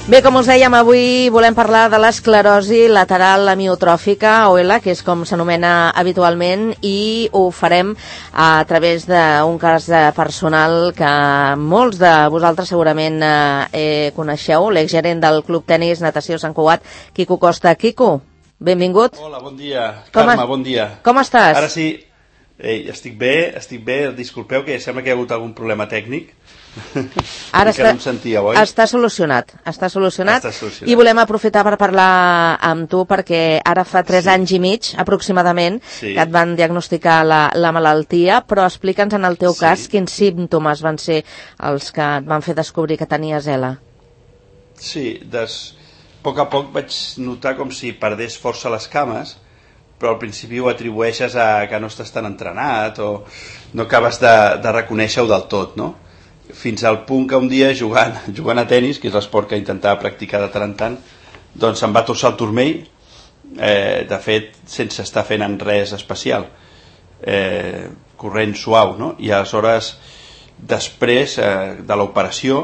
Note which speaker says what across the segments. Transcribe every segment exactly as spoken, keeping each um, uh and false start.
Speaker 1: Bé, com us dèiem, avui volem parlar de l'esclerosi lateral amiotròfica, o E L A, que és com s'anomena habitualment, i ho farem a través d'un cas personal que molts de vosaltres segurament eh, coneixeu, l'exgerent del Club Tenis Natació Sant Cugat, Quico Costa. Quico, benvingut.
Speaker 2: Hola, bon dia.
Speaker 1: Com
Speaker 2: Carme,
Speaker 1: es...
Speaker 2: bon dia.
Speaker 1: Com estàs?
Speaker 2: Ara sí, Ei, estic bé, estic bé. Disculpeu que sembla que hi ha hagut algun problema tècnic.
Speaker 1: Ara està,
Speaker 2: no em sentíeu, oi?
Speaker 1: està solucionat, està solucionat,
Speaker 2: està solucionat
Speaker 1: i volem aprofitar per parlar amb tu perquè ara fa tres sí. anys i mig aproximadament sí. que et van diagnosticar la, la malaltia, però explica'ns en el teu sí. cas quins símptomes van ser els que et van fer descobrir que tenies E L A.
Speaker 2: Sí, des... a poc a poc vaig notar com si perdés força les cames, però al principi ho atribueixes a que no estàs tan entrenat o no acabes de, de reconèixer-ho del tot, no? Fins al punt que un dia jugant, jugant a tenis, que és l'esport que intentava practicar de tant en tant, doncs em va torçar el turmell, eh, de fet sense estar fent en res especial, eh, corrent suau, no? I aleshores després eh, de l'operació,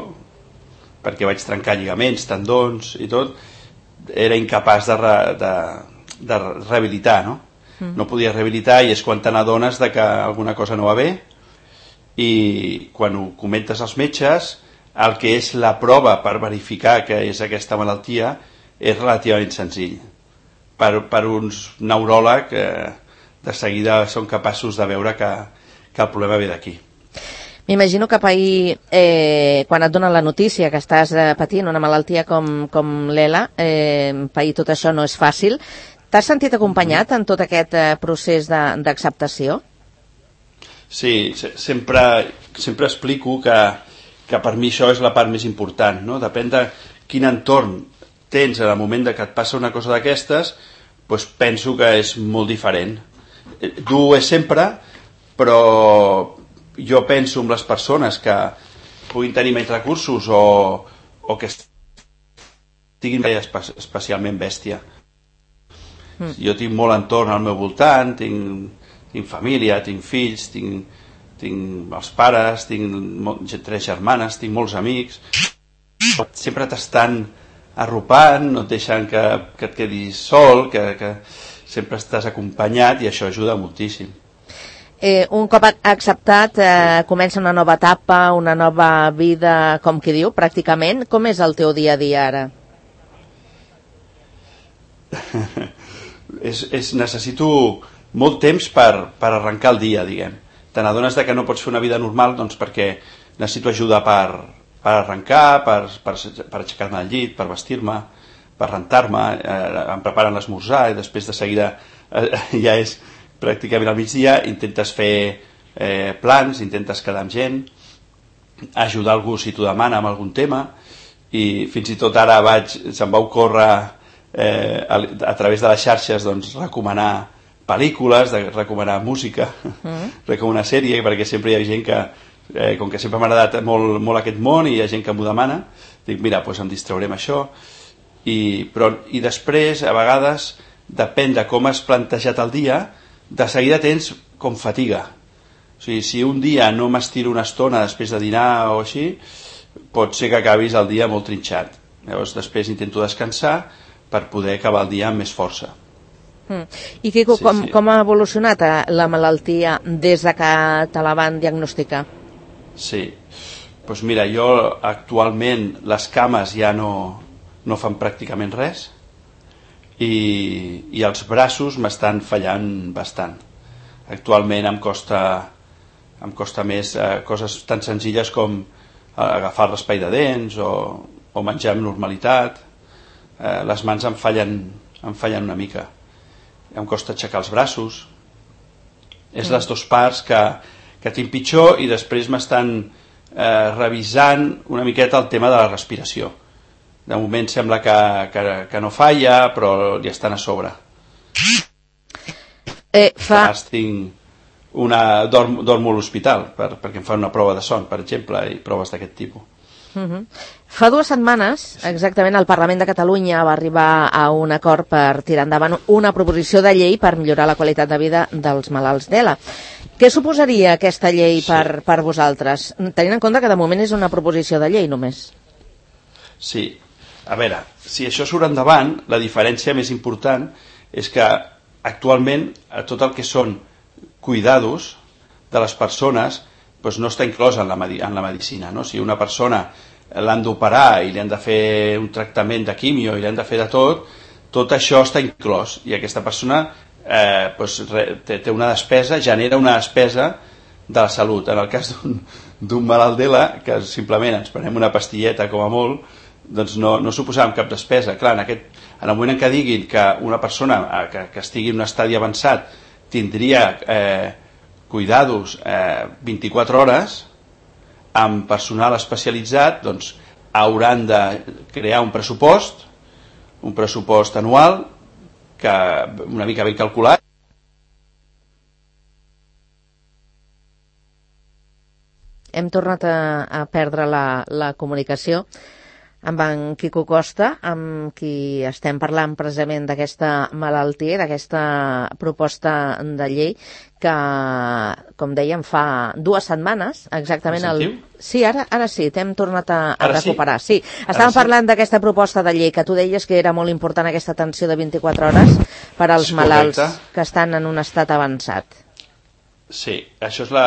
Speaker 2: perquè vaig trencar lligaments, tendons i tot, era incapaç de, re, de, de rehabilitar, no? Mm. No podia rehabilitar, i és quan te n'adones de que alguna cosa no va bé, i quan ho comentes als metges, el que és la prova per verificar que és aquesta malaltia és relativament senzill. Per, per uns neuròleg eh, de seguida són capaços de veure que, que el problema ve d'aquí.
Speaker 1: M'imagino que pair, eh, quan et donen la notícia que estàs eh, patint una malaltia com, com l'E L A, eh, pair tot això no és fàcil. T'has sentit acompanyat en tot aquest eh, procés d'acceptació?
Speaker 2: Sí, sempre, sempre explico que, que per mi això és la part més important, no? Depèn de quin entorn tens en el moment de que et passa una cosa d'aquestes, doncs penso que és molt diferent. Dur és sempre, però jo penso en les persones que puguin tenir menys recursos o, o que estiguin especialment bèstia. Mm. Jo tinc molt entorn al meu voltant, tinc... tinc família, tinc fills, tinc, tinc els pares, tinc tres germanes, tinc molts amics. Sempre t'estan arropant, no et deixen que, que et quedis sol, que, que sempre estàs acompanyat, i això ajuda moltíssim.
Speaker 1: Eh, un cop acceptat, eh, comença una nova etapa, una nova vida, com qui diu, pràcticament. Com és el teu dia a dia ara?
Speaker 2: és, és, necessito... molt temps per, per arrencar el dia, diguem. Te n'adones que no pots fer una vida normal, doncs perquè necessito ajuda per, per arrencar, per, per, per aixecar-me del llit, per vestir-me, per rentar-me, eh, em preparen l'esmorzar, i després de seguida eh, ja és pràcticament al migdia, intentes fer eh, plans, intentes quedar amb gent, ajudar algú si t'ho demana amb algun tema, i fins i tot ara vaig, se'm va ocórrer eh, a, a través de les xarxes doncs, recomanar pel·lícules, de recomanar música, mm. recomanar sèrie, perquè sempre hi ha gent que, eh, com que sempre m'ha agradat molt, molt aquest món, i hi ha gent que m'ho demana, dic, mira, doncs em distraurem això, i, però, i després, a vegades, depèn de com has plantejat el dia, de seguida tens com fatiga. O sigui, si un dia no m'estiro una estona després de dinar o així, pot ser que acabis el dia molt trinxat. Llavors, després intento descansar per poder acabar el dia amb més força.
Speaker 1: Mm. I Quico, sí, com, sí. com ha evolucionat la malaltia des de que te la van diagnosticar?
Speaker 2: Sí, doncs mira, jo actualment les cames ja no, no fan pràcticament res, i, i els braços m'estan fallant bastant. Actualment em costa, em costa més eh, coses tan senzilles com agafar el raspall de dents o, o menjar amb normalitat. Eh, les mans em fallen, em fallen una mica. Em costa aixecar els braços. És mm. les dues parts que, que tinc pitjor, i després m'estan eh, revisant una miqueta el tema de la respiració. De moment sembla que, que, que no falla, però li estan a sobre.
Speaker 1: Eh, fa...
Speaker 2: Tinc una, dorm, dormo a l'hospital per, perquè em fan una prova de son, per exemple, i proves d'aquest tipus.
Speaker 1: Uh-huh. Fa dues setmanes, exactament, el Parlament de Catalunya va arribar a un acord per tirar endavant una proposició de llei per millorar la qualitat de vida dels malalts d'E L A. Què suposaria aquesta llei sí. per, per vosaltres? Tenint en compte que de moment és una proposició de llei només.
Speaker 2: Sí, a veure, si això surt endavant, la diferència més important és que actualment tot el que són cuidados de les persones doncs no està inclòs en la, en la medicina, no? Si una persona l'han d'operar i li han de fer un tractament de quimio i li han de fer de tot, tot això està inclòs i aquesta persona eh, doncs, té, té una despesa, genera una despesa de la salut. En el cas d'un malalt d'ELA, que simplement ens prenem una pastilleta com a molt, doncs no, no suposàvem cap despesa. Clar, en, aquest, en el moment en què diguin que una persona que, que estigui en un estadi avançat tindria eh, cuidados eh, vint-i-quatre hores amb personal especialitzat, doncs hauran de crear un pressupost, un pressupost anual que una mica ben calculat.
Speaker 1: Hem tornat a, a perdre la, la comunicació amb en Quico Costa, amb qui estem parlant precisament d'aquesta malaltia, d'aquesta proposta de llei que, com dèiem, fa dues setmanes, exactament el... Sí, ara, ara sí, t'hem tornat a, a recuperar. Sí, sí. Estàvem ara parlant sí. d'aquesta proposta de llei, que tu deies que era molt important aquesta atenció de vint-i-quatre hores per als malalts que estan en un estat avançat.
Speaker 2: Sí, això és la,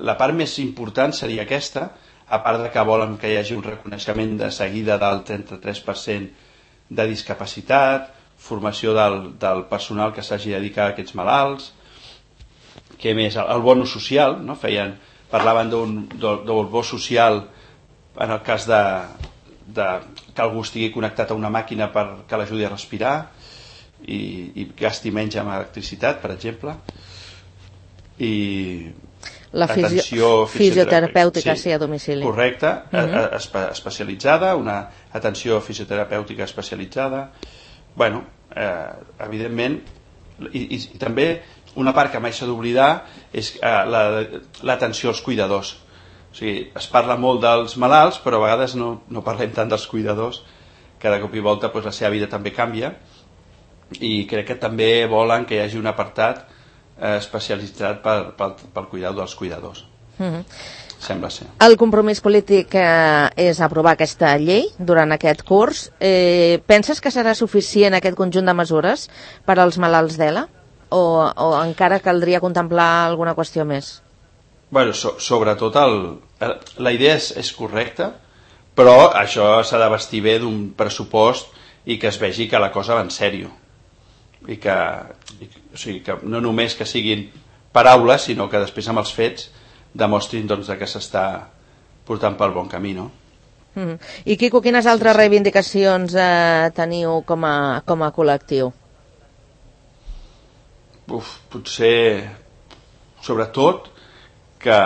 Speaker 2: la part més important seria aquesta, a part de que volen que hi hagi un reconeixement de seguida del trenta-tres per cent de discapacitat, formació del, del personal que s'hagi dedicat a aquests malalts, que més, el, el bono social, no? Feien, parlaven d'un, d'un bo social en el cas de, de que algú estigui connectat a una màquina per que l'ajudi a respirar i, i gasti menys amb electricitat, per exemple, i
Speaker 1: la fisio, fisioterapèutica sí, sí, a domicili.
Speaker 2: Correcte, uh-huh. espe, especialitzada, una atenció fisioterapèutica especialitzada. Bueno, eh, evidentment, i, i, i també una part que mai s'ha d'oblidar és eh, l'atenció als cuidadors. O sigui, es parla molt dels malalts, però a vegades no, no parlem tant dels cuidadors, que de cop i volta doncs, la seva vida també canvia, i crec que també volen que hi hagi un apartat especialitzat pel, pel, pel cuidado dels cuidadors. Uh-huh. Sembla ser.
Speaker 1: El compromís polític eh, és aprovar aquesta llei durant aquest curs. Eh, penses que serà suficient aquest conjunt de mesures per als malalts d'ELA? O, o encara caldria contemplar alguna qüestió més?
Speaker 2: Bueno, so, sobretot el, la idea és, és correcta, però això s'ha de vestir bé d'un pressupost i que es vegi que la cosa va en sèrio. I que, i, o sigui, que no només que siguin paraules, sinó que després amb els fets demostrin doncs, que s'està portant pel bon camí, no?
Speaker 1: Mm. I Quico, quines altres sí, sí. reivindicacions eh, teniu com a, com a col·lectiu?
Speaker 2: Uf, potser, sobretot, que,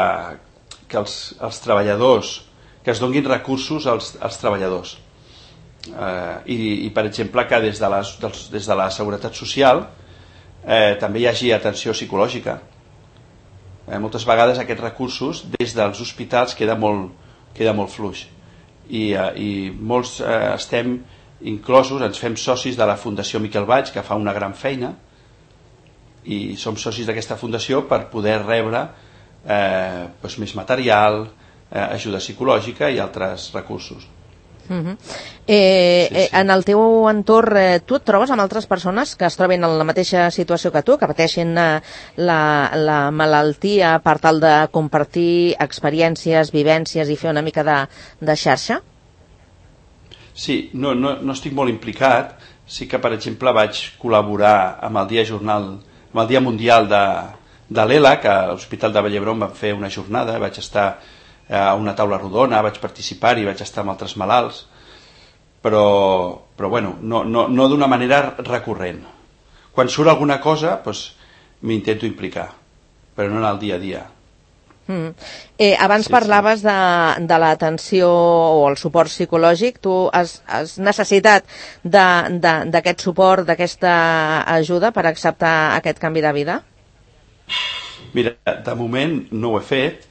Speaker 2: que els, els treballadors, que es donguin recursos als, als treballadors. Uh, i, i per exemple que des de, les, dels, des de la seguretat social eh, també hi hagi atenció psicològica. Eh, moltes vegades aquests recursos des dels hospitals queda molt, queda molt fluix i, eh, i molts eh, estem inclosos, ens fem socis de la Fundació Miquel Baig, que fa una gran feina, i som socis d'aquesta fundació per poder rebre eh, doncs més material, eh, ajuda psicològica i altres recursos.
Speaker 1: Uh-huh. eh, sí, sí. Eh, en el teu entorn eh, tu et trobes amb altres persones que es troben en la mateixa situació que tu, que pateixen eh, la, la malaltia per tal de compartir experiències, vivències i fer una mica de, de xarxa?
Speaker 2: Sí, no, no, no estic molt implicat. Sí que per exemple vaig col·laborar amb el Dia Jornal, amb el Dia Mundial de, de l'ELA, que a l'Hospital de Vall d'Hebron vam fer una jornada, vaig estar a una taula rodona, vaig participar-hi, vaig estar amb altres malalts, però, però bueno, no, no, no d'una manera recurrent. Quan surt alguna cosa, doncs, m'intento implicar, però no en el dia a dia.
Speaker 1: Mm. Eh, abans sí, parlaves sí. de, de l'atenció o el suport psicològic. Tu has, has necessitat d'aquest suport, d'aquesta ajuda per acceptar aquest canvi de vida?
Speaker 2: Mira, de moment no ho he fet.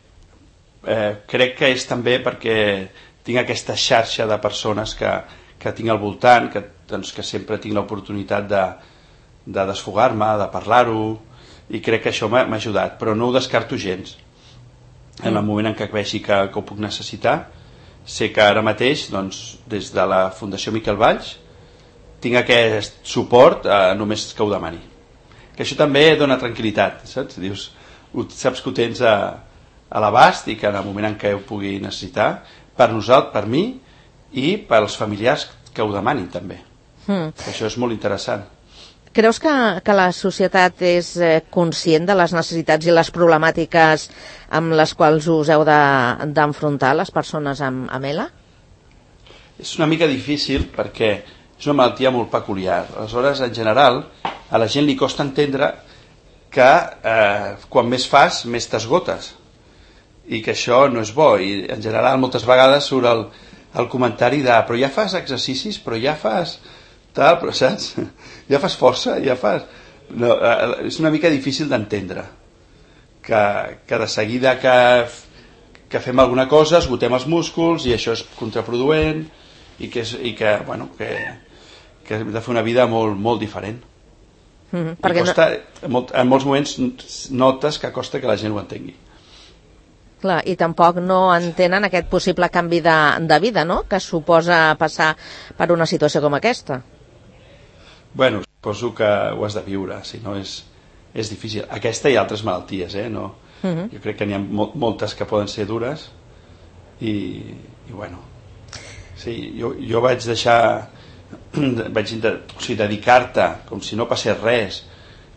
Speaker 2: Eh, crec que és també perquè tinc aquesta xarxa de persones que, que tinc al voltant, que, doncs, que sempre tinc l'oportunitat de, de desfogar-me, de parlar-ho, i crec que això m'ha ajudat, però no ho descarto gens. En el moment en què vegi que, que ho puc necessitar, sé que ara mateix, doncs, des de la Fundació Miquel Valls, tinc aquest suport eh, només que ho demani. Que això també dona tranquil·litat, saps? Dius, saps que ho tens a, a l'abast i que en el moment en què ho pugui necessitar, per nosaltres, per mi i pels familiars que ho demanin també. Mm. Això és molt interessant.
Speaker 1: Creus que, que la societat és eh, conscient de les necessitats i les problemàtiques amb les quals us heu d'enfrontar de, les persones amb, amb E L A?
Speaker 2: És una mica difícil perquè és una malaltia molt peculiar. Aleshores, en general, a la gent li costa entendre que eh, quan més fas, més t'esgotes. I que això no és bo. I en general, moltes vegades surt el, el comentari de però ja fas exercicis, però ja fas... tal, però saps? Ja fas força, ja fas... No, és una mica difícil d'entendre que, que de seguida que, que fem alguna cosa esgotem els músculs i això és contraproduent i que, és, i que, bueno, que, que hem de fer una vida molt, molt diferent. Mm-hmm, perquè costa, no... en molts moments notes que costa que la gent ho entengui.
Speaker 1: Clar, i tampoc no entenen aquest possible canvi de, de vida, no?, que suposa passar per una situació com aquesta.
Speaker 2: Bueno, suposo que ho has de viure, si no és, és difícil. Aquesta i altres malalties, eh? No, uh-huh. Jo crec que n'hi ha mo moltes que poden ser dures i, i bueno, sí, jo, jo vaig deixar, vaig o sigui, dedicar-te com si no passés res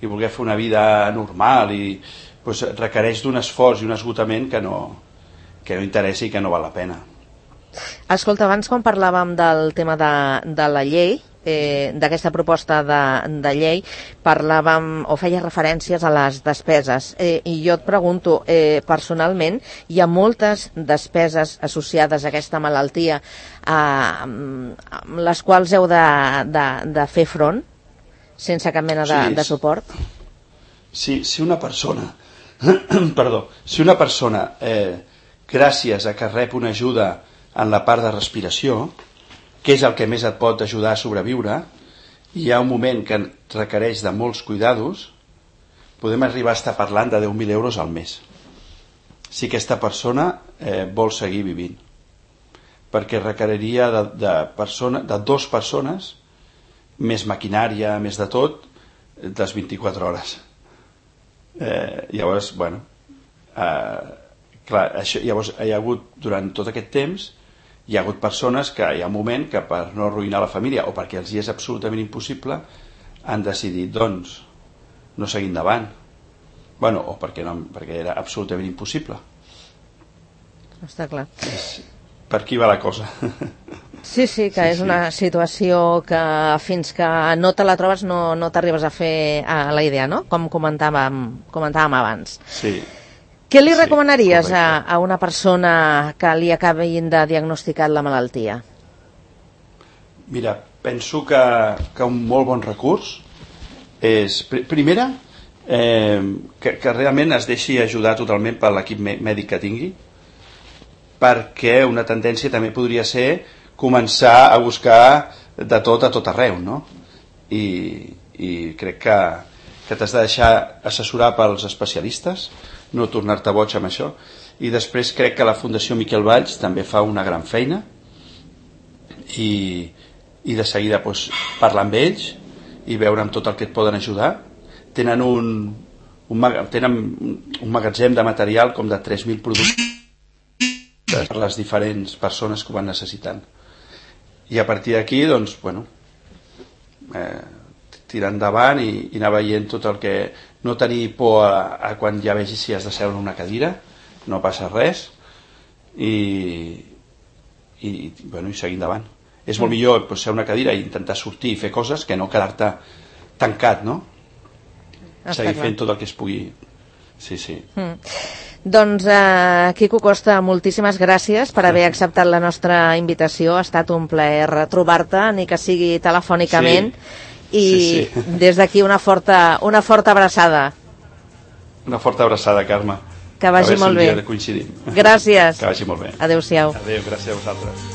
Speaker 2: i voler fer una vida normal i pues, requereix d'un esforç i un esgotament que no, que no interessa i que no val la pena.
Speaker 1: Escolta, abans quan parlàvem del tema de, de la llei, eh, d'aquesta proposta de, de llei, parlàvem o feia referències a les despeses. Eh, I jo et pregunto, eh, personalment, hi ha moltes despeses associades a aquesta malaltia eh, amb les quals heu de, de, de fer front sense cap mena de, sí, de suport?
Speaker 2: Sí, si una persona, perdó, si una persona, eh, gràcies a que rep una ajuda en la part de respiració, que és el que més et pot ajudar a sobreviure, i hi ha un moment que requereix de molts cuidados, podem arribar a estar parlant de deu mil euros al mes. Si aquesta persona eh, vol seguir vivint. Perquè requeriria de, de, persona, de dues persones, més maquinària, més de tot, les vint-i-quatre hores. Eh, llavors, bueno, eh, clar, això, llavors hi ha hagut, durant tot aquest temps, hi ha hagut persones que hi ha un moment que per no arruïnar la família o perquè els hi és absolutament impossible han decidit, doncs, no seguir endavant. Bueno, o perquè, no, perquè era absolutament impossible.
Speaker 1: Està clar.
Speaker 2: És, per aquí va la cosa.
Speaker 1: Sí, sí, que sí, és sí. Una situació que fins que no te la trobes no, no t'arribes a fer a la idea, no? Com comentàvem, comentàvem abans.
Speaker 2: Sí.
Speaker 1: Què li recomanaries sí, a, a una persona que li acabin de diagnosticar la malaltia?
Speaker 2: Mira, penso que, que un molt bon recurs és, pr primera, eh, que, que realment es deixi ajudar totalment per l'equip mèdic que tingui, perquè una tendència també podria ser començar a buscar de tot a tot arreu, no? I, i crec que, que t'has de deixar assessorar pels especialistes, no tornar-te boig amb això, i després crec que la Fundació Miquel Valls també fa una gran feina i, i de seguida doncs, parlar amb ells i veure amb tot el que et poden ajudar. Tenen un, un, tenen un magatzem de material com de tres mil productes per les diferents persones que ho van necessitant, i a partir d'aquí doncs, bueno, eh, tirar endavant i, i anar veient tot el que... No tenir por a, a quan ja vegis si has de seure en una cadira, no passa res, i, i, bueno, i seguir endavant. És molt millor pues, ser una cadira i intentar sortir i fer coses que no quedar-te tancat, no? Està seguir clar. Fent tot el que es pugui. Sí, sí.
Speaker 1: Mm. Doncs, eh, Quico Costa, moltíssimes gràcies per haver acceptat la nostra invitació. Ha estat un plaer trobar-te, ni que sigui telefònicament. Sí. I sí, sí. Des d'aquí una forta, una forta abraçada.
Speaker 2: Una forta abraçada, Carme.
Speaker 1: Que vagi molt bé.
Speaker 2: Coincidim.
Speaker 1: Gràcies.
Speaker 2: Que vagi molt bé.
Speaker 1: Adéu-siau.
Speaker 2: Adéu, gràcies a vosaltres.